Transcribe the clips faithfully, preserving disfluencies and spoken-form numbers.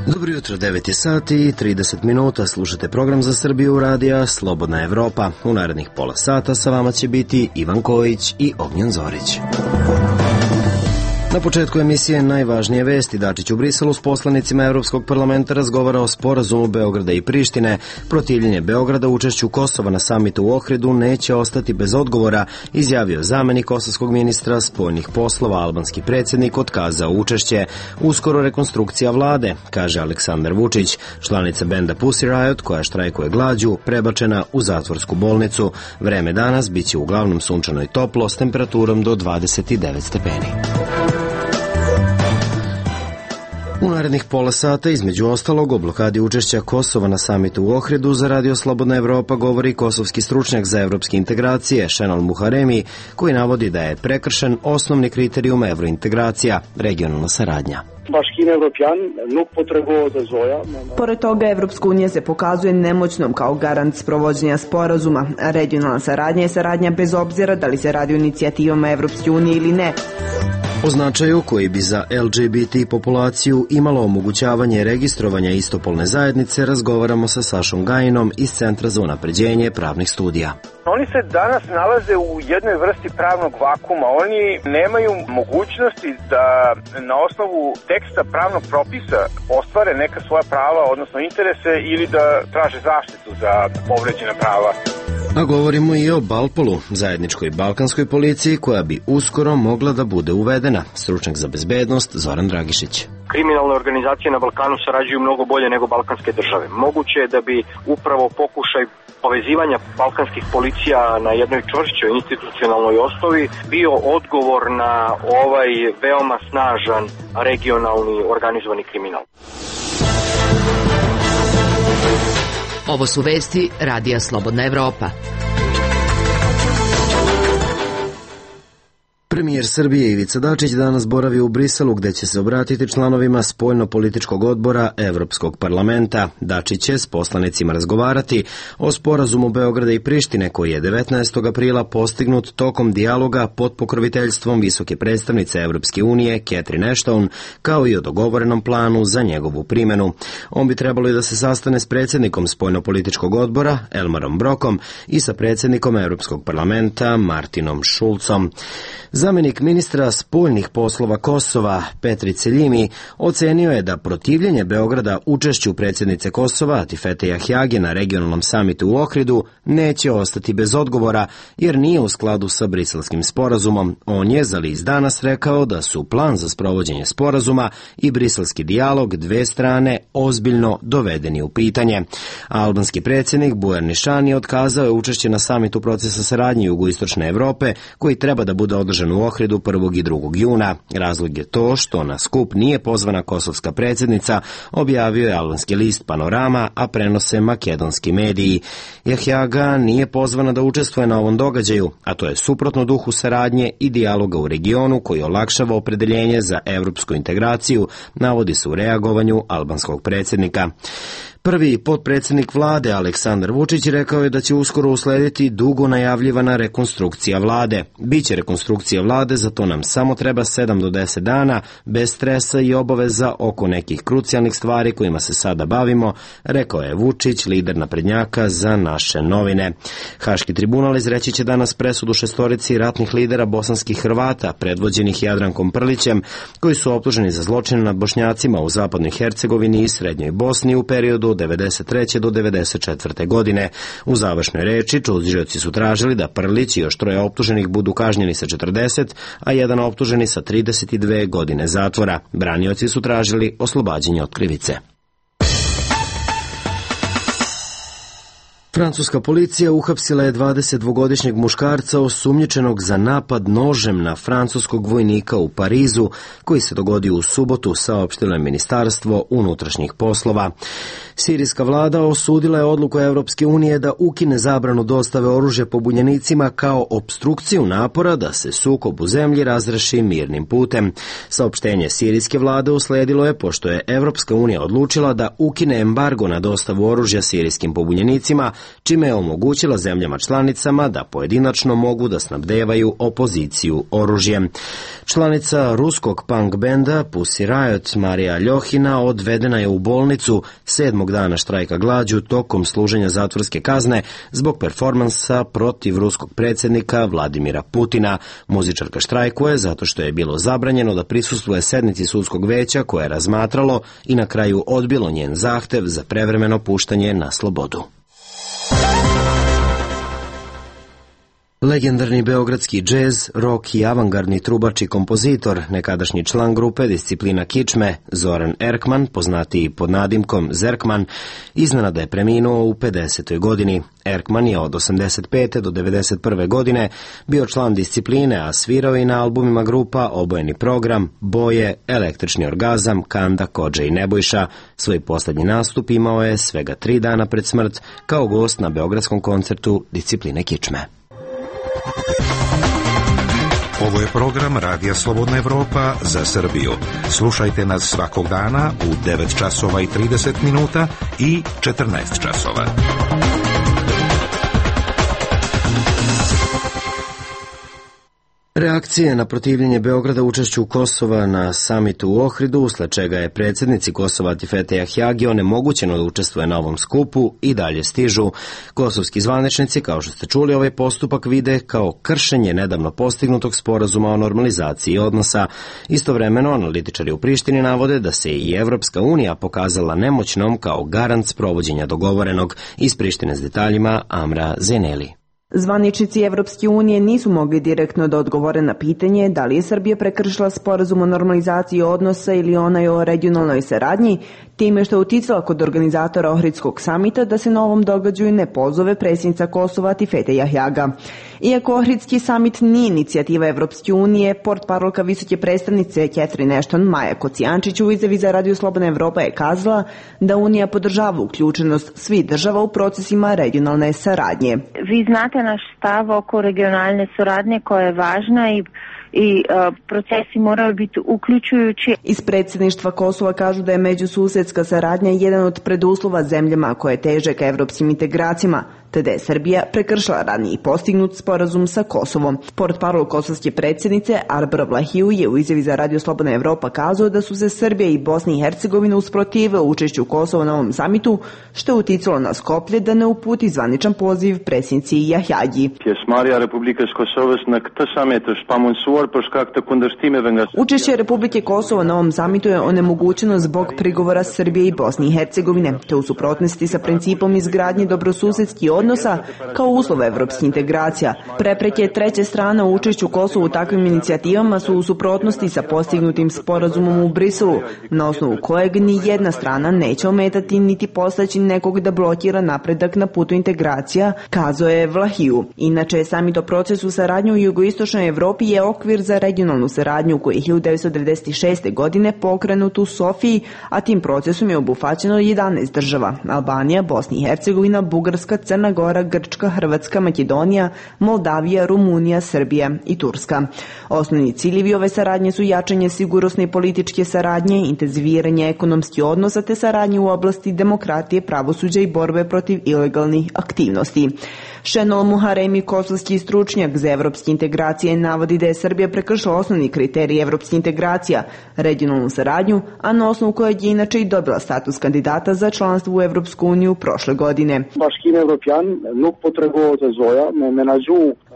Dobro jutro, devet je sati i trideset minuta, slušate program za Srbiju radija Slobodna Evropa. U narednih pola sata sa vama će biti Ivan Kojić i Ognjen Zorić. Na početku emisije najvažnije vesti. Dačić u Briselu s poslanicima Evropskog parlamenta razgovara o sporazumu Beograda i Prištine. Protivljenje Beograda učešću Kosova na samitu u Ohridu neće ostati bez odgovora, izjavio zamenik kosovskog ministra spoljnih poslova. Albanski predsjednik otkazao učešće. Uskoro rekonstrukcija vlade, kaže Aleksandar Vučić. Članica benda Pussy Riot, koja štrajkuje glađu, prebačena u zatvorsku bolnicu. Vreme danas biće uglavnom sunčano i toplo s temperaturom do dvadeset devet stepeni. U narednih pola sata, između ostalog, o blokadi učešća Kosova na samitu u Ohridu za Radio Slobodna Evropa govori kosovski stručnjak za evropske integracije Šenol Muharemi, koji navodi da je prekršen osnovni kriterijum evrointegracija, regionalna saradnja. Pored toga, Evropska unija se pokazuje nemoćnom kao garant sprovođenja sporazuma. Regionalna saradnja je saradnja bez obzira da li se radi o inicijativama Evropske unije ili ne. O značaju koji bi za L G B T populaciju imalo omogućavanje registrovanja istopolne zajednice razgovaramo sa Sašom Gajinom iz Centra za unapređenje pravnih studija. Oni se danas nalaze u jednoj vrsti pravnog vakuma. Oni nemaju mogućnosti da na osnovu teksta pravnog propisa ostvare neka svoja prava, odnosno interese, ili da traže zaštitu za povređena prava. A govorimo i o Balpolu, zajedničkoj balkanskoj policiji koja bi uskoro mogla da bude uvedena. Stručnjak za bezbednost Zoran Dragišić. Kriminalne organizacije na Balkanu sarađuju mnogo bolje nego balkanske države. Moguće je da bi upravo pokušaj povezivanja balkanskih policija na jednoj čvršćoj institucionalnoj osnovi bio odgovor na ovaj veoma snažan regionalni organizovani kriminal. Ovo su vesti Radija Slobodna Evropa. Premijer Srbije Ivica Dačić danas boravi u Briselu, gde će se obratiti članovima spoljno-političkog odbora Evropskog parlamenta. Dačić će s poslanicima razgovarati o sporazumu Beograda i Prištine, koji je devetnaestog aprila postignut tokom dijaloga pod pokroviteljstvom visoke predstavnice Evropske unije Catherine Ashton, kao i o dogovorenom planu za njegovu primenu. On bi trebalo i da se sastane s predsjednikom spoljno-političkog odbora Elmarom Brokom i sa predsjednikom Evropskog parlamenta Martinom Šulcom. Zamenik ministra spoljnih poslova Kosova Petri Celjimi ocenio je da protivljenje Beograda učešću predsjednice Kosova Atifete Jahjage na regionalnom samitu u Ohridu neće ostati bez odgovora, jer nije u skladu sa briselskim sporazumom. On je za list Danas rekao da su plan za sprovođenje sporazuma i briselski dijalog dve strane ozbiljno dovedeni u pitanje. Albanski predsjednik Bujar Nišani otkazao je učešće na samitu procesa saradnje jugoistočne Evrope, koji treba da bude održan u Ohridu prvog i drugog juna. Razlog je to što na skup nije pozvana kosovska predsjednica, objavio je albanski list Panorama, a prenose makedonski mediji. Jahjaga nije pozvana da učestvuje na ovom događaju, a to je suprotno duhu saradnje i dijaloga u regionu koji olakšava opredeljenje za evropsku integraciju, navodi se u reagovanju albanskog predsjednika. Prvi potpredsjednik vlade Aleksandar Vučić rekao je da će uskoro uslediti dugo najavljivana rekonstrukcija vlade. Biće rekonstrukcija vlade, za to nam samo treba sedam do deset dana, bez stresa i obaveza oko nekih krucijalnih stvari kojima se sada bavimo, rekao je Vučić, lider naprednjaka za naše novine. Haški tribunal izreći će danas presudu šestorici ratnih lidera bosanskih Hrvata, predvođenih Jadrankom Prlićem, koji su optuženi za zločine nad Bošnjacima u zapadnoj Hercegovini i srednjoj Bosni u periodu od devedeset treće do devedeset četvrte. godine. U završnoj reči tužioci su tražili da Prlić i još troje optuženih budu kažnjeni sa četrdeset, a jedan optuženi sa trideset dve godine zatvora. Branioci su tražili oslobađanje od krivice. Francuska policija uhapsila je dvadesetdvogodišnjeg muškarca osumnjičenog za napad nožem na francuskog vojnika u Parizu, koji se dogodio u subotu, saopštilo je Ministarstvo unutrašnjih poslova. Sirijska vlada osudila je odluku Evropske unije da ukine zabranu dostave oružja pobunjenicima kao opstrukciju napora da se sukob u zemlji razreši mirnim putem. Saopštenje sirijske vlade usledilo je pošto je Evropska unija odlučila da ukine embargo na dostavu oružja sirijskim pobunjenicima čime je omogućila zemljama članicama da pojedinačno mogu da snabdevaju opoziciju oružjem. Članica ruskog punk benda Pussy Riot Marija Ljohina odvedena je u bolnicu sedmog dana štrajka glađu tokom služenja zatvorske kazne zbog performansa protiv ruskog predsjednika Vladimira Putina. Muzičarka štrajkuje zato što je bilo zabranjeno da prisustvuje sednici sudskog veća koje je razmatralo i na kraju odbilo njen zahtev za prevremeno puštanje na slobodu. Legendarni beogradski džez, rock i avangardni trubač i kompozitor, nekadašnji član grupe Disciplina kičme, Zoran Erkman, poznatiji pod nadimkom Zerkman, iznenada je preminuo u pedesetoj godini. Erkman je od osamdeset pete do devedeset prve godine bio član Discipline, a svirao i na albumima grupa Obojeni program, Boje, Električni orgazam, Kanda, Kodža i Nebojša. Svoj posljednji nastup imao je svega tri dana pred smrt kao gost na beogradskom koncertu Discipline kičme. Ovo je program Radija Slobodna Evropa za Srbiju. Slušajte nas svakog dana u devet časova i trideset minuta i četrnaest časova. Reakcije na protivljenje Beograda učešću Kosova na samitu u Ohridu, usled čega je predsjednici Kosova Atifete Jahjagi onemogućeno da učestvuje na ovom skupu, i dalje stižu. Kosovski zvaničnici, kao što ste čuli, ovaj postupak vide kao kršenje nedavno postignutog sporazuma o normalizaciji odnosa. Istovremeno, analitičari u Prištini navode da se i Evropska unija pokazala nemoćnom kao garant sprovođenja dogovorenog. Iz Prištine s detaljima Amra Zeneli. Zvaničnici Evropske unije nisu mogli direktno da odgovore na pitanje da li je Srbija prekršila sporazum o normalizaciji odnosa ili onaj o regionalnoj saradnji, time što je uticala kod organizatora Ohridskog samita da se na ovom događaju ne pozove predsjednica Kosova Atifete Jahjaga. Iako Ohridski samit nije inicijativa Evropske unije, portparolka visoke predstavnice Catherine Ashton Maja Kocijančić u izjavi za Radio Slobodna Evropa je kazala da Unija podržava uključenost svih država u procesima regionalne saradnje. Vi znate naš stav oko regionalne suradnje koja je važna i i uh, procesi moraju biti uključujući. Iz predsjedništva Kosova kažu da je međususedska saradnja jedan od preduslova zemljama koje teže ka evropskim integracijama, te da je Srbija prekršila raniji postignut sporazum sa Kosovom. Portparol kosovske predsjednice Arbra Vlahiju je u izjavi za Radio Slobodna Evropa kazao da su se Srbija i Bosna i Hercegovina usprotivile učešću Kosova na ovom samitu, što je uticalo na Skoplje da ne uputi zvaničan poziv predsjednici Jahjagi. Učešće Republike Kosovo na ovom samitu je onemogućeno zbog prigovora Srbije i Bosne i Hercegovine, te u suprotnosti sa principom izgradnje dobrosusedskih odnosa kao uslov evropskih integracija. Prepreke treće strane u učešću Kosova u takvim inicijativama su u suprotnosti sa postignutim sporazumom u Briselu, na osnovu kojeg ni jedna strana neće ometati niti postaći nekog da blokira napredak na putu integracija, kazao je Vlahiju. Inače, samit o procesu saradnje u jugoistočnoj Evropi je okvir za regionalnu saradnju koji je hiljadu devetsto devedeset šeste. godine pokrenut u Sofiji, a tim procesom je obuhvaćeno jedanaest država: Albanija, Bosna i Hercegovina, Bugarska, Crna Gora, Grčka, Hrvatska, Makedonija, Moldavija, Rumunija, Srbija i Turska. Osnovni ciljevi ove saradnje su jačanje sigurnosne i političke saradnje, intenziviranje ekonomskih odnosa te saradnje u oblasti demokratije, pravosuđa i borbe protiv ilegalnih aktivnosti. Šenol Muharemi, kosovski stručnjak za evropske integracije, navodi da je Srbija prekršila osnovni kriterij evropske integracija, regionalnu saradnju, a na osnovu kojeg je inače i dobila status kandidata za članstvo u Evropsku uniju prošle godine.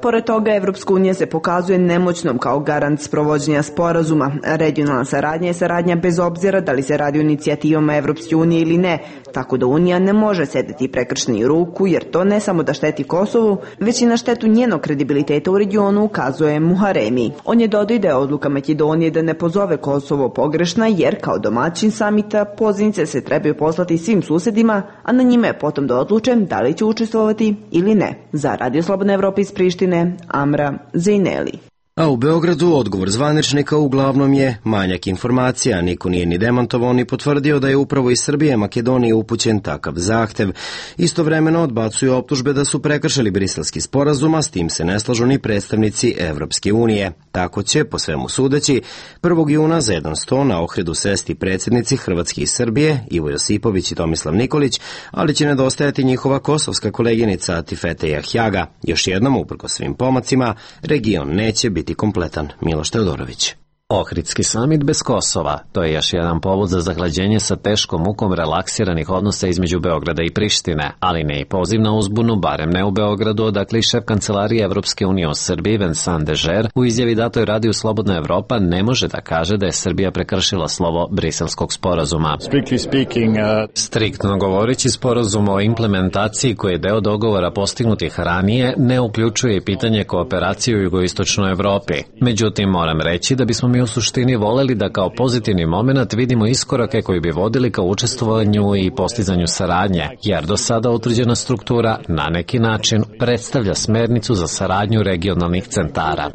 Pored toga, Evropska unija se pokazuje nemoćnom kao garant sprovođenja sporazuma. Regionalna saradnja je saradnja bez obzira da li se radi o inicijativama Evropske unije ili ne, tako da Unija ne može sedeti prekršeni ruku, jer to ne samo da šteti Kosovu, već i na štetu njenog kredibiliteta u regionu, ukazuje Muharemi. On je dodao da je odluka Makedonije da ne pozove Kosovo pogrešna, jer kao domaćin samita pozivnice se trebaju poslati svim susedima, a na njima je potom da odluče da li će učestvovati ili ne. Za Radio Slobodna Evropa iz Prištine, Amra Zeneli. A u Beogradu odgovor zvaničnika uglavnom je manjak informacija. Niko nije ni demantovao ni potvrdio da je upravo iz Srbije Makedoniji upućen takav zahtev. Istovremeno odbacuju optužbe da su prekršili Briselski sporazum, a s tim se ne slažu ni predstavnici Evropske unije. Tako će, po svemu sudeći, prvog juna za jedan sto na Ohridu sesti predsjednici Hrvatske i Srbije, Ivo Josipović i Tomislav Nikolić, ali će nedostajati njihova kosovska koleginica Atifete Jahjaga. Još jednom, uprkos svim pomacima, region neće biti kompletan. Miloš Teodorović. Ohridski samit bez Kosova, to je još jedan povod za zahlađenje sa teškom mukom relaksiranih odnosa između Beograda i Prištine, ali ne i poziv na uzbunu, barem ne u Beogradu, odakle i šef kancelarije Evropske unije u Srbiji, Vincent Dežer, u izjavi datoj radiju Slobodna Evropa ne može da kaže da je Srbija prekršila slovo Briselskog sporazuma. Speaking, uh... Striktno govoreći, sporazum o implementaciji koji je deo dogovora postignutih ranije ne uključuje pitanje kooperacije u jugoistočnoj Evropi. Međutim, moram reći da bismo mi u suštini voleli da kao pozitivni moment vidimo iskorake koji bi vodili ka učestvovanju i postizanju saradnje, jer do sada utvrđena struktura na neki način predstavlja smernicu za saradnju regionalnih centara.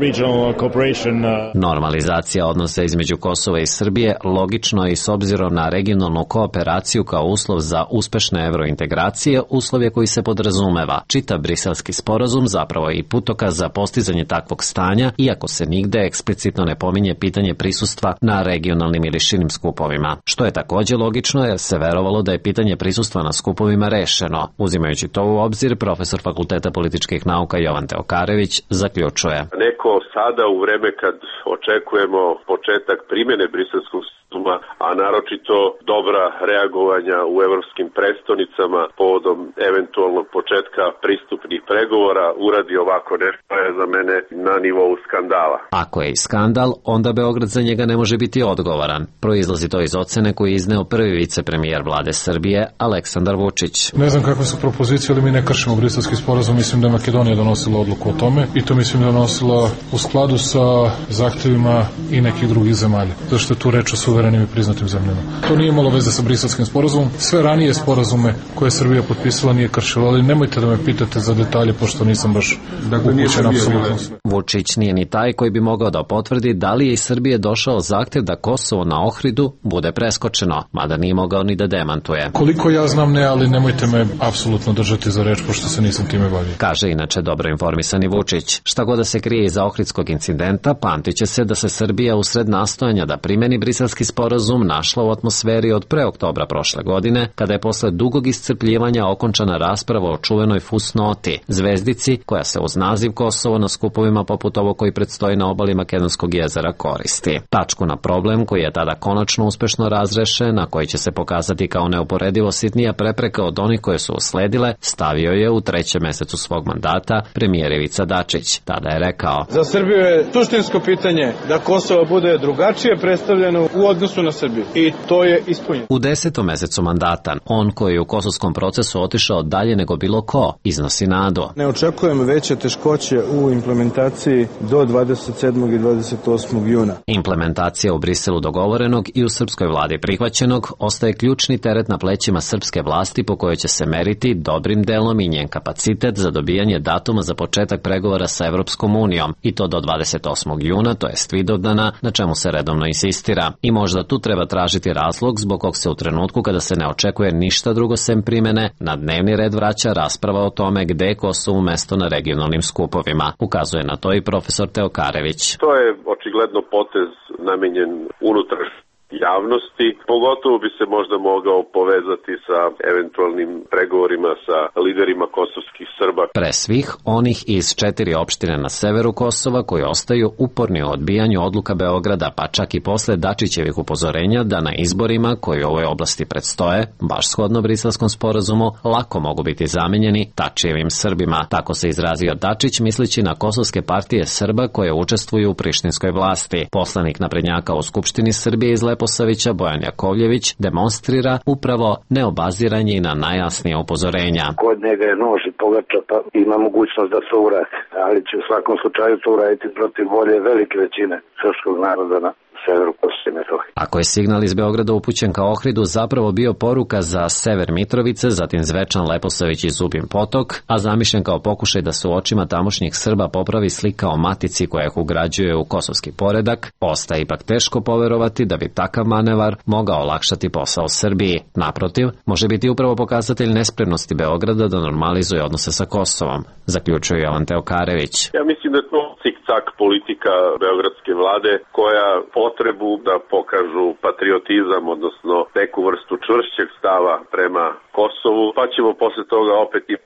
Normalizacija odnosa između Kosova i Srbije logično je i s obzirom na regionalnu kooperaciju kao uslov za uspešne evrointegracije, uslov je koji se podrazumeva. Čitav briselski sporazum zapravo je i putokaz za postizanje takvog stanja, iako se nigde eksplicitno ne pominje pitanje prisustva na regionalnim ili širim skupovima. Što je takođe logično jer se verovalo da je pitanje prisustva na skupovima rešeno. Uzimajući to u obzir, profesor Fakulteta političkih nauka Jovan Teokarević zaključuje. Neko sada u vreme kad očekujemo početak primjene briselskog sporazuma, a naročito dobra reagovanja u evropskim prestonicama povodom eventualnog početka pristupnih pregovora, uradi ovako nešto je za mene na nivou skandala. Ako je i skandal, onda Beograd za njega ne može biti odgovoran. Proizlazi to iz ocene koju je izneo prvi vicepremijer vlade Srbije, Aleksandar Vučić. Ne znam kakve su propozicije, ali mi ne kršimo briselski sporazum. Mislim da je Makedonija donosila odluku o tome i to mislim da je donosila u skladu sa zahtevima i nekih drugih zemalja. Zašto je tu reč o suverenim i priznatim zemljama. To nije imalo veze sa briselskim sporazumom. Sve ranije sporazume koje je Srbija potpisala nije kršila, ali nemojte da me pitate za detalje, pošto nisam baš upućen apsolutno sve. Vučić nije ni taj koji bi mogao da potvrdi da li je iz Srbije došao zahtev da Kosovo na Ohridu bude preskočeno, mada nije mogao ni da demantuje. Koliko ja znam ne, ali nemojte me apsolutno držati za reč, pošto se nisam time bavio. Kaže inače dobro informisani Vučić. Šta god da se krije iza ohridskog incidenta, pamtiće se da se Srbija usred nastojanja da primeni briselski sporazum našla u atmosferi od pre oktobra prošle godine, kada je posle dugog iscrpljivanja okončana rasprava o čuvenoj fusnoti, zvezdici koja se uz naziv Kosovo na skupovima poput ovo koji predstoji na obali Makedonskog jezera koristi. Tačku na problem koji je tada konačno uspešno razrešen, a koji će se pokazati kao neuporedivo sitnija prepreka od onih koje su usledile, stavio je u trećem mesecu svog mandata premijer Ivica Dačić. Tada je rekao: Za Srbiju je suštinsko pitanje da Kosovo bude drugačije predstavljeno u odnosu na Srbiju i to je ispunjeno. U desetom mesecu mandata, on koji je u kosovskom procesu otišao dalje nego bilo ko, iznosi nadu. Ne očekujem veće teškoće u implementaciji do dvadeset sedmog i dvadeset osmog juna. Implementacija u Briselu dogovorenog i u srpskoj vladi prihvaćenog ostaje ključni teret na plećima srpske vlasti po kojoj će se meriti dobrim delom i njen kapacitet za dobijanje datuma za početak pregovora sa Evropskom unijom i to do dvadeset osmog juna, to jest Vidovdana, na čemu se redovno insistira. I možda tu treba tražiti razlog zbog kog se u trenutku kada se ne očekuje ništa drugo sem primene, na dnevni red vraća rasprava o tome gde je Kosovo mesto na regionalnim skupovima. Ukazuje na to i profesor Teokarević. To je očigledno potez namenjen unutrašnjoj javnosti, pogotovo bi se možda mogao povezati sa eventualnim pregovorima sa liderima kosovskih Srba. Pre svih onih iz četiri opštine na severu Kosova koji ostaju uporni u odbijanju odluka Beograda, pa čak i posle Dačićevih upozorenja da na izborima koji u ovoj oblasti predstoje, baš shodno briselskom sporazumu, lako mogu biti zamenjeni Tačijevim Srbima. Tako se izrazio Dačić misleći na kosovske partije Srba koje učestvuju u prištinskoj vlasti. Poslanik naprednjaka u Skupštini Srbije iz Leposavića Bojan Jakovljević demonstrira upravo neobaziranje i na najjasnije upozorenja. Kod njega je nož i pogača, pa ima mogućnost da se uradi, ali će u svakom slučaju to uraditi protiv volje velike većine srpskog naroda na severu Kosova i Metohije. Ako je signal iz Beograda upućen ka Ohridu zapravo bio poruka za sever Mitrovice, zatim Zvečan, Leposavić i Zubin Potok, a zamišljen kao pokušaj da se u očima tamošnjih Srba popravi slika o matici koja ih ugrađuje u kosovski poredak, ostaje ipak teško poverovati da bi takav manevar mogao olakšati posao Srbiji. Naprotiv, može biti upravo pokazatelj nespremnosti Beograda da normalizuje odnose sa Kosovom, zaključuje Jovan Teokarević. Ja mislim da je to cik-cak politika beogradske vlade koja potrebu da pokažu patriotizam, odnosno neku vrstu čvršćeg stava prema Kosovu, pa ćemo posle toga opet i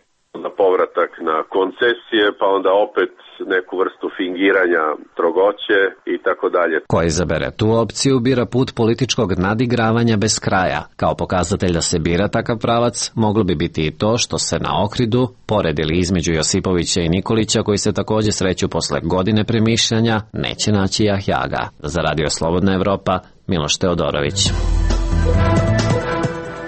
na povratak na koncesije, pa onda opet neku vrstu fingiranja strogoće i tako dalje. Ko izabere tu opciju bira put političkog nadigravanja bez kraja. Kao pokazatelj da se bira takav pravac, moglo bi biti i to što se na Ohridu, pored ili između Josipovića i Nikolića, koji se takođe sreću posle godine premišljanja, neće naći Jahjaga. Za Radio Slobodna Evropa, Miloš Teodorović.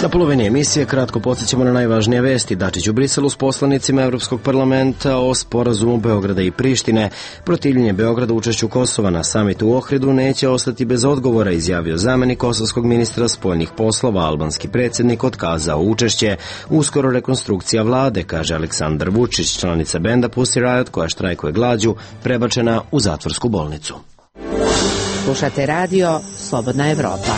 Na polovini emisije kratko podsjećamo na najvažnije vesti. Dačić u Briselu s poslanicima Evropskog parlamenta o sporazumu Beograda i Prištine. Protivljenje Beograda učešću Kosova na samitu u Ohridu neće ostati bez odgovora, izjavio zamenik kosovskog ministra spoljnih poslova. Albanski predsjednik otkazao učešće. Uskoro rekonstrukcija vlade, kaže Aleksandar Vučić, članica benda Pussy Riot koja štrajkuje glađu, prebačena u zatvorsku bolnicu. Slušate radio Slobodna Evropa.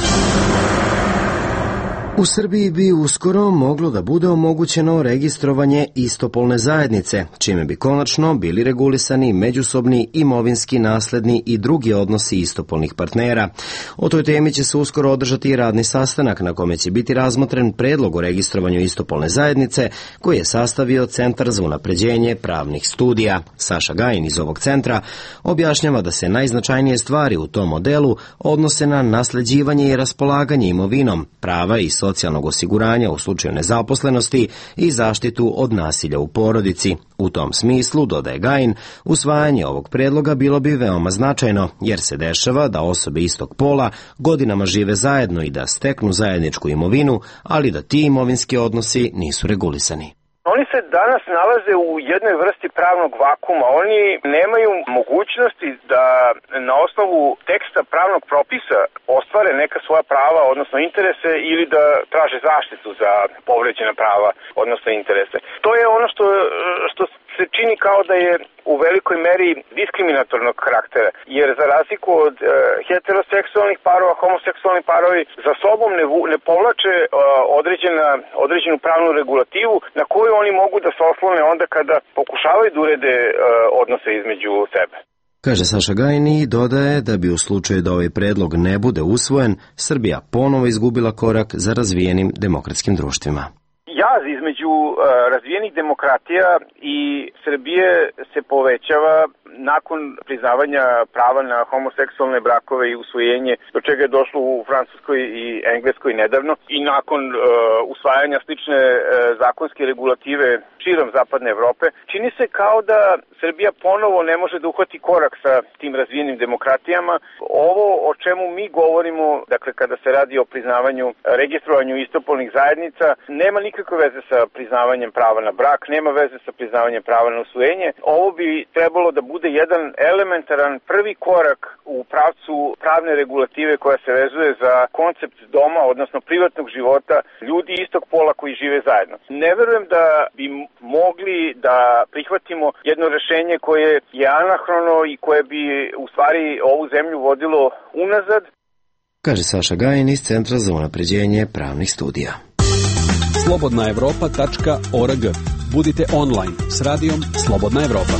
U Srbiji bi uskoro moglo da bude omogućeno registrovanje istopolne zajednice, čime bi konačno bili regulisani međusobni imovinski, nasledni i drugi odnosi istopolnih partnera. O toj temi će se uskoro održati i radni sastanak na kome će biti razmotren predlog o registrovanju istopolne zajednice koji je sastavio Centar za unapređenje pravnih studija. Saša Gajin iz ovog centra objašnjava da se najznačajnije stvari u tom modelu odnose na nasleđivanje i raspolaganje imovinom, prava i socijalnog osiguranja u slučaju nezaposlenosti i zaštitu od nasilja u porodici. U tom smislu, dodaje Gajin, usvajanje ovog predloga bilo bi veoma značajno, jer se dešava da osobe istog pola godinama žive zajedno i da steknu zajedničku imovinu, ali da ti imovinski odnosi nisu regulisani. Oni se danas nalaze u jednoj vrsti pravnog vakuma. Oni nemaju mogućnosti da na osnovu teksta pravnog propisa ostvare neka svoja prava, odnosno interese, ili da traže zaštitu za povređena prava, odnosno interese. To je ono što, što se čini kao da je u velikoj meri diskriminatornog karaktera, jer za razliku od e, heteroseksualnih parova, homoseksualni parovi za sobom ne, ne povlače e, određena, određenu pravnu regulativu na koju oni mogu da se oslone onda kada pokušavaju da urede e, odnose između sebe. Kaže Saša Gajin i dodaje da bi u slučaju da ovaj predlog ne bude usvojen, Srbija ponovo izgubila korak za razvijenim demokratskim društvima. Jaz između uh, razvijenih demokratija i Srbije se povećava nakon priznavanja prava na homoseksualne brakove i usvojenje, do čega je došlo u Francuskoj i Engleskoj nedavno, i nakon uh, usvajanja slične uh, zakonske regulative širom zapadne Evrope, čini se kao da Srbija ponovo ne može da uhvati korak sa tim razvijenim demokratijama. Ovo o čemu mi govorimo, dakle kada se radi o priznavanju, registrovanju istopolnih zajednica, nema nikakve veze sa priznavanjem prava na brak, nema veze sa priznavanjem prava na usvojenje. Ovo bi trebalo da bude jedan elementaran prvi korak u pravcu pravne regulative koja se vezuje za koncept doma, odnosno privatnog života ljudi istog pola koji žive zajedno. Ne verujem da bi mogli da prihvatimo jedno rešenje koje je anahrono i koje bi u stvari ovu zemlju vodilo unazad. Kaže Saša Gajin iz Centra za unapređenje pravnih studija. slobodna evropa tačka org. Budite online s radijom Slobodna Evropa.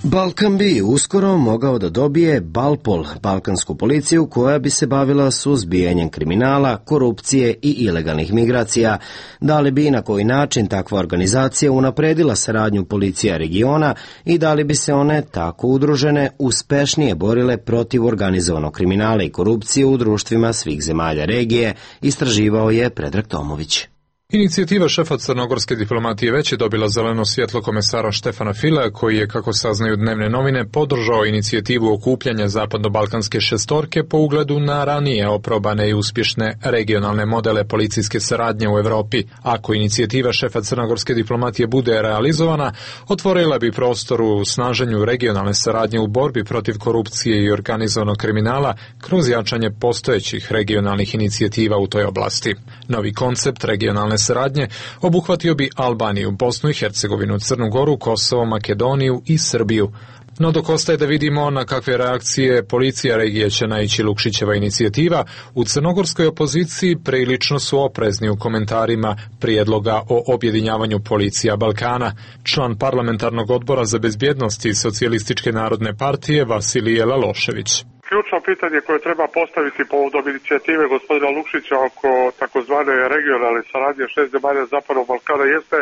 Balkan bi uskoro mogao da dobije Balpol, balkansku policiju koja bi se bavila suzbijanjem kriminala, korupcije i ilegalnih migracija. Da li bi i na koji način takva organizacija unapredila saradnju policija regiona i da li bi se one tako udružene uspešnije borile protiv organizovanog kriminala i korupcije u društvima svih zemalja regije, istraživao je Predrag Tomović. Inicijativa šefa crnogorske diplomatije već je dobila zeleno svjetlo komesara Štefana Fila, koji je, kako saznaju dnevne novine, podržao inicijativu okupljanja zapadno-balkanske šestorke po ugledu na ranije oprobane i uspješne regionalne modele policijske saradnje u Evropi. Ako inicijativa šefa crnogorske diplomatije bude realizovana, otvorila bi prostor u snaženju regionalne saradnje u borbi protiv korupcije i organizovanog kriminala kroz jačanje postojećih regionalnih inicijativa u toj oblasti. Novi koncept regionalne saradnje obuhvatio bi Albaniju, Bosnu i Hercegovinu, Crnu Goru, Kosovo, Makedoniju i Srbiju. No dok ostaje da vidimo na kakve reakcije policija regije će naići Lukšićeva inicijativa, u crnogorskoj opoziciji prilično su oprezni u komentarima prijedloga o objedinjavanju policija Balkana. Član parlamentarnog odbora za bezbjednost i Socijalističke narodne partije Vasilije Lalošević. Ključno pitanje koje treba postaviti povodom inicijative gospodina Lukšića oko takozvane regionalne saradnje šest zemalja Zapadnog Balkana jeste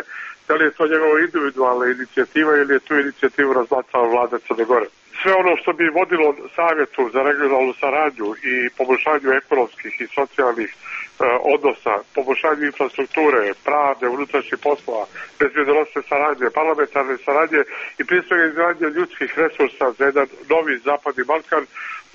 da li je to njegova individualna inicijativa ili je tu inicijativu razmatrala vlada Crne Gore. Sve ono što bi vodilo savjetu za regionalnu saradnju i poboljšanju ekonomskih i socijalnih e, odnosa, poboljšanju infrastrukture, pravde, unutrašnjih poslova, bezbjednosne saradnje, parlamentarne saradnje i prije svega izgradnje ljudskih resursa za jedan novi Zapadni Balkan,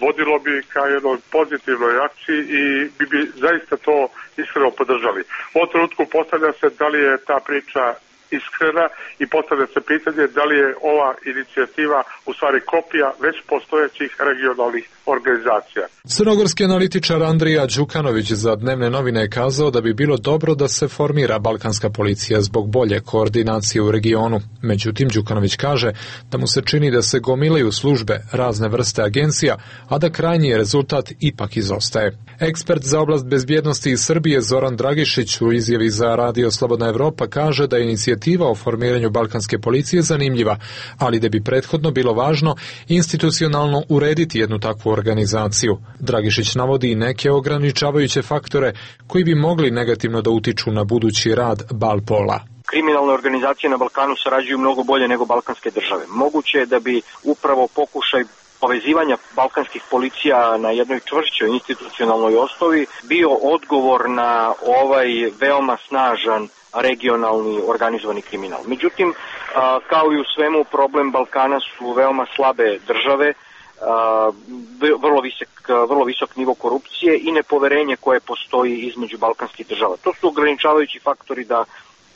vodilo bi ka jednoj pozitivnoj akciji i bi, bi zaista to iskreno podržali. U ovom trenutku postavlja se da li je ta priča iskrena i postavlja se pitanje da li je ova inicijativa u stvari kopija već postojećih regionalnih organizacija. Crnogorski analitičar Andrija Đukanović za dnevne novine je kazao da bi bilo dobro da se formira balkanska policija zbog bolje koordinacije u regionu. Međutim, Đukanović kaže da mu se čini da se gomilaju službe razne vrste agencija, a da krajnji rezultat ipak izostaje. Ekspert za oblast bezbjednosti iz Srbije Zoran Dragišić u izjavi za Radio Slobodna Evropa kaže da je inicijativa o formiranju balkanske policije zanimljiva, ali da bi prethodno bilo važno institucionalno urediti jednu takvu organizaciju. Dragišić navodi i neke ograničavajuće faktore koji bi mogli negativno da utiču na budući rad Balpola. Kriminalne organizacije na Balkanu sarađuju mnogo bolje nego balkanske države. Moguće je da bi upravo pokušaj povezivanja balkanskih policija na jednoj čvršćoj institucionalnoj osnovi bio odgovor na ovaj veoma snažan regionalni organizovani kriminal. Međutim, kao i u svemu, problem Balkana su veoma slabe države, vrlo visok, vrlo visok nivo korupcije i nepoverenje koje postoji između balkanskih država. To su ograničavajući faktori da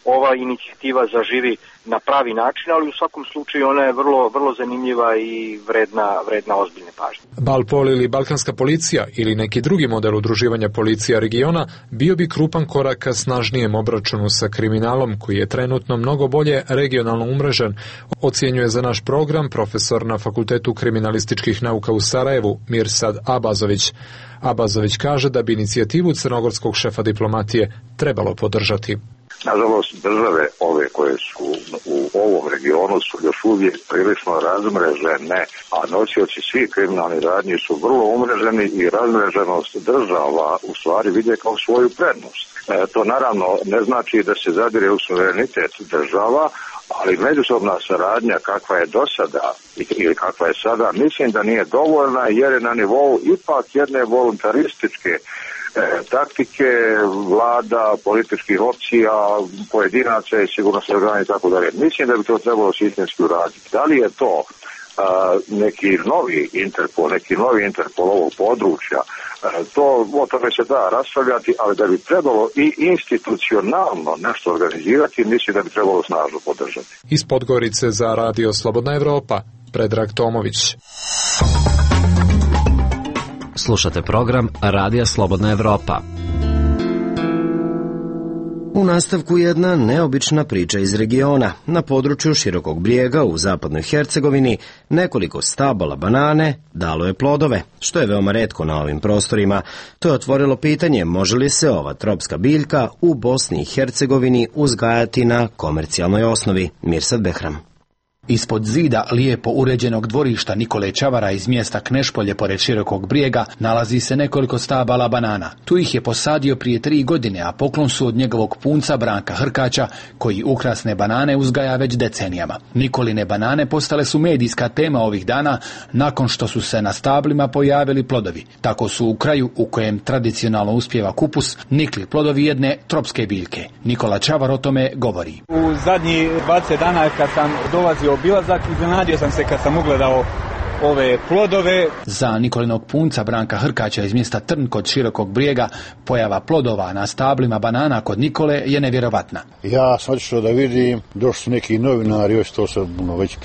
ova inicijativa zaživi na pravi način, ali u svakom slučaju ona je vrlo, vrlo zanimljiva i vredna, vredna ozbiljne pažnje. Balpol ili balkanska policija ili neki drugi model udruživanja policija regiona bio bi krupan korak ka snažnijem obračunu sa kriminalom koji je trenutno mnogo bolje regionalno umrežen, ocjenjuje za naš program profesor na Fakultetu kriminalističkih nauka u Sarajevu Mirsad Abazović. Abazović kaže da bi inicijativu crnogorskog šefa diplomatije trebalo podržati. Nažalost, države ove koje su u ovom regionu su još uvijek prilično razmrežene, a nosioci svih kriminalnih radnji su vrlo umreženi i razmreženost država u stvari vide kao svoju prednost. E, to naravno ne znači da se zadire u suverenitet država, ali međusobna saradnja kakva je do sada ili kakva je sada, mislim da nije dovoljna jer je na nivou ipak jedne voluntarističke E, taktike vlada, političkih opcija, pojedinaca i sigurnosnih organa i tako dalje. Mislim da bi to trebalo sistemski uraditi. Da li je to a, neki novi Interpol, neki novi Interpol ovog područja, a, to o tome se da raspravljati, ali da bi trebalo i institucionalno nešto organizirati, mislim da bi trebalo snažno podržati. Iz Podgorice za Radio Slobodna Evropa, Predrag Tomović. Slušate program Radija Slobodna Evropa. U nastavku jedna neobična priča iz regiona. Na području Širokog Brijega u zapadnoj Hercegovini nekoliko stabala banane dalo je plodove, što je veoma retko na ovim prostorima. To je otvorilo pitanje može li se ova tropska biljka u Bosni i Hercegovini uzgajati na komercijalnoj osnovi. Mirsad Behram. Ispod zida lijepo uređenog dvorišta Nikole Čavara iz mjesta Knešpolje pored Širokog Brijega nalazi se nekoliko stabala banana. Tu ih je posadio prije tri godine, a poklon su od njegovog punca Branka Hrkaća, koji ukrasne banane uzgaja već decenijama. Nikoline banane postale su medijska tema ovih dana nakon što su se na stablima pojavili plodovi. Tako su u kraju u kojem tradicionalno uspijeva kupus nikli plodovi jedne tropske biljke. Nikola Čavar o tome govori. U zadnjih dvadeset dana kad sam dolazio obilazak, iznenadio sam se kad sam ugledao ove plodove. Za Nikolinog punca Branka Hrkaća iz mjesta Trn kod Širokog Brijega pojava plodova na stablima banana kod Nikole je nevjerovatna. Ja sam otišao da vidim, došli su neki novinari, još to se no, već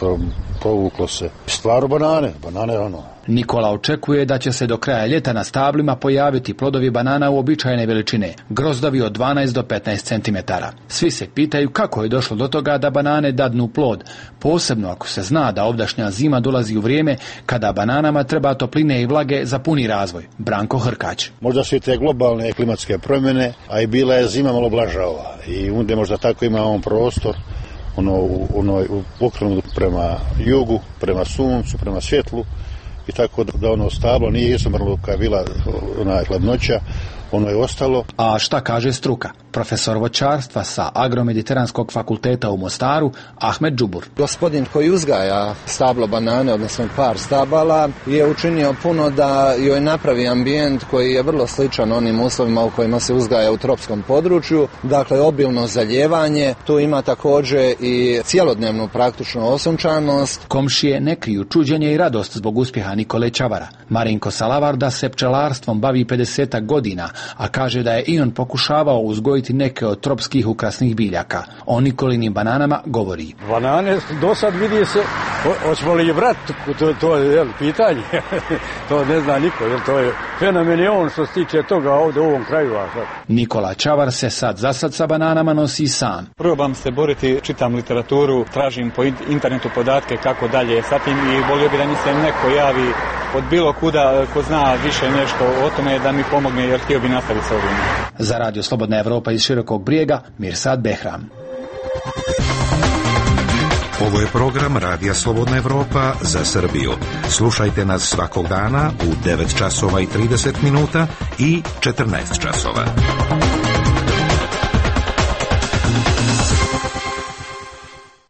provuklo se. Stvarno banane, banane ono. Nikola očekuje da će se do kraja ljeta na stablima pojaviti plodovi banana uobičajene veličine, grozdovi od dvanaest do petnaest centimetara. Svi se pitaju kako je došlo do toga da banane dadnu plod, posebno ako se zna da ovdašnja zima dolazi u vrijeme kada bananama treba topline i vlage za puni razvoj. Branko Hrkać. Možda su i te globalne klimatske promjene, a i bila je zima malo blaža ova. I onda možda tako ima on prostor, ono, ono, okrenut prema jugu, prema suncu, prema svjetlu. I tako da ono stablo nije izumrlo kad je bila ona hladnoća, ono je ostalo. A šta kaže struka? Profesor voćarstva sa Agromediteranskog fakulteta u Mostaru, Ahmed Džubur. Gospodin koji uzgaja stablo banane, odnosno par stabala, je učinio puno da joj napravi ambijent koji je vrlo sličan onim uslovima u kojima se uzgaja u tropskom području. Dakle, obilno zaljevanje, tu ima također i cjelodnevnu praktičnu osunčanost. Komšije ne kriju čuđenje i radost zbog uspjeha Nikole Čavara. Marinko Salavarda se pčelarstvom bavi pedesetak godina, a kaže da je i on pokušavao uzgojiti neke od tropskih ukrasnih biljaka. O Nikolinim bananama govori. Banane do sad vidi se, hoćemo li vrat, to, to je jel, pitanje, to ne zna niko, jel, to je fenomen je on što se tiče toga ovdje u ovom kraju. Nikola Čavar se sad za sad sa bananama nosi sam. Probam se boriti, čitam literaturu, tražim po internetu podatke kako dalje sa tim i volio bi da mi se neko javi od bilo kuda ko zna više nešto o tome da mi pomogne jer htio bi nastaviti sa ovim. Za Radio Slobodna Evropa iz Širokog Brijega, Mirsad Behram. Ovo je program Radija Slobodna Evropa za Srbiju. Slušajte nas svakog dana u devet časova i trideset minuta i četrnaest časova.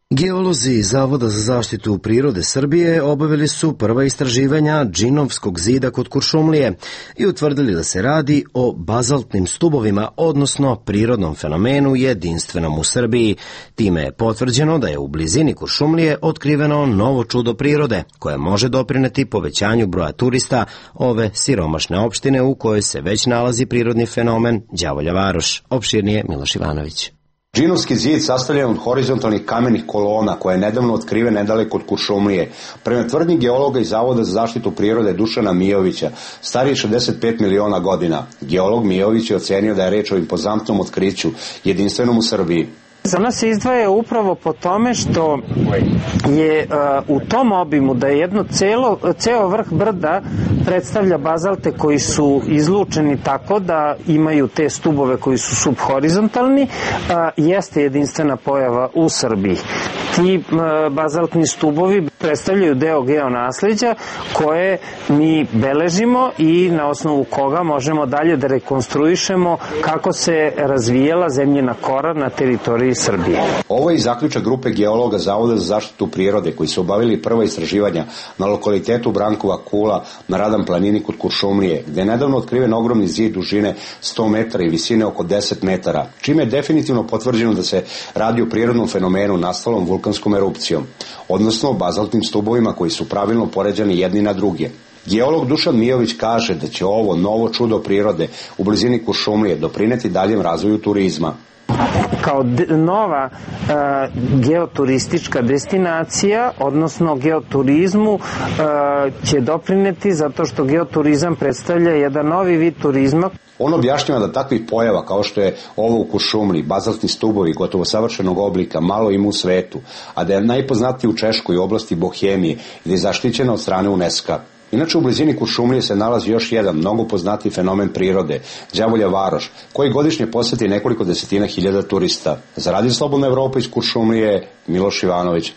Geolozi iz Zavoda za zaštitu prirode Srbije obavili su prva istraživanja Džinovskog zida kod Kuršumlije i utvrdili da se radi o bazaltnim stubovima, odnosno prirodnom fenomenu jedinstvenom u Srbiji. Time je potvrđeno da je u blizini Kuršumlije otkriveno novo čudo prirode koje može doprineti povećanju broja turista ove siromašne opštine u kojoj se već nalazi prirodni fenomen Đavolja Varoš. Opširnije Miloš Ivanović. Džinovski zid sastavljen od horizontalnih kamenih kolona koja je nedavno otkriven nedaleko od Kuršumlije. Prema tvrdnji geologa iz Zavoda za zaštitu prirode Dušana Mijovića, stariji šezdeset pet miliona godina, geolog Mijović je ocenio da je reč o impozantnom otkriću, jedinstvenom u Srbiji. Za nas se izdvaja upravo po tome što je uh, u tom obimu da je jedno celo, ceo vrh brda predstavlja bazalte koji su izlučeni tako da imaju te stubove koji su subhorizontalni, uh, jeste jedinstvena pojava u Srbiji. Ti uh, bazaltni stubovi predstavljaju deo geonasleđa koje mi beležimo i na osnovu koga možemo dalje da rekonstruišemo kako se razvijela zemljina kora na teritoriji Srbije. Ovo je i zaključak grupe geologa Zavoda za zaštitu prirode koji su obavili prva istraživanja na lokalitetu Brankova Kula na Radan planini kod Kuršumlije, gde je nedavno otkriven ogromni zid dužine sto metara i visine oko deset metara, čime je definitivno potvrđeno da se radi o prirodnom fenomenu nastalom vulkanskom erupcijom, odnosno bazaltnim stubovima koji su pravilno poređani jedni na druge. Geolog Dušan Mijović kaže da će ovo novo čudo prirode u blizini Kuršumlije doprineti daljem razvoju turizma. Kao nova e, geoturistička destinacija, odnosno geoturizmu, e, će doprineti zato što geoturizam predstavlja jedan novi vid turizma. On objašnjava da takvih pojava kao što je ovo u Kuršumliji, bazaltni stubovi gotovo savršenog oblika, malo ima u svetu, a da je najpoznatiji u Češkoj oblasti Bohemije i da je zaštićena od strane UNESCO-a. Inače, u blizini Kuršumlije se nalazi još jedan mnogo poznatiji fenomen prirode, Đavolja Varoš, koji godišnje posjeti nekoliko desetina hiljada turista. Za Radio Slobodna Evropa iz Kuršumlije, Miloš Ivanović.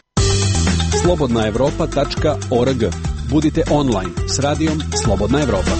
slobodna evropa tačka org. Budite online s radijom Slobodna Evropa.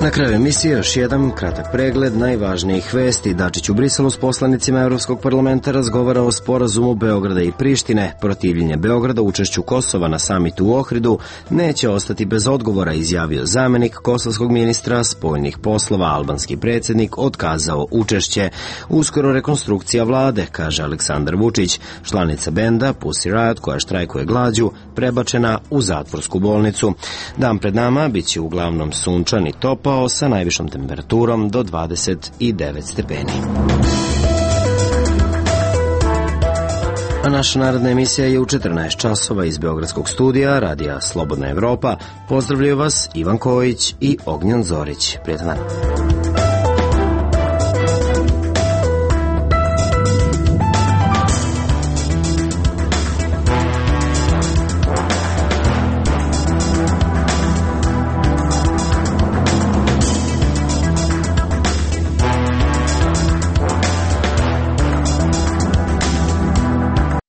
Na kraju emisije još jedan kratak pregled najvažnijih vesti. Dačić u Briselu s poslanicima Evropskog parlamenta razgovara o sporazumu Beograda i Prištine. Protivljenje Beograda učešću Kosova na samitu u Ohridu neće ostati bez odgovora, izjavio zamenik kosovskog ministra spoljnih poslova. Albanski predsjednik otkazao učešće. Uskoro rekonstrukcija vlade, kaže Aleksandar Vučić. Članica benda Pussy Riot, koja štrajkuje glađu, prebačena u zatvorsku bolnicu. Dan pred nama bit će uglavnom sunčan i topao sa najvišom temperaturom do dvadeset devet stepeni. A naša narodna emisija je u četrnaest časova iz Beogradskog studija Radija Slobodna Evropa. Pozdravljaju vas Ivan Kojić i Ognjan Zorić. Prijetan dan.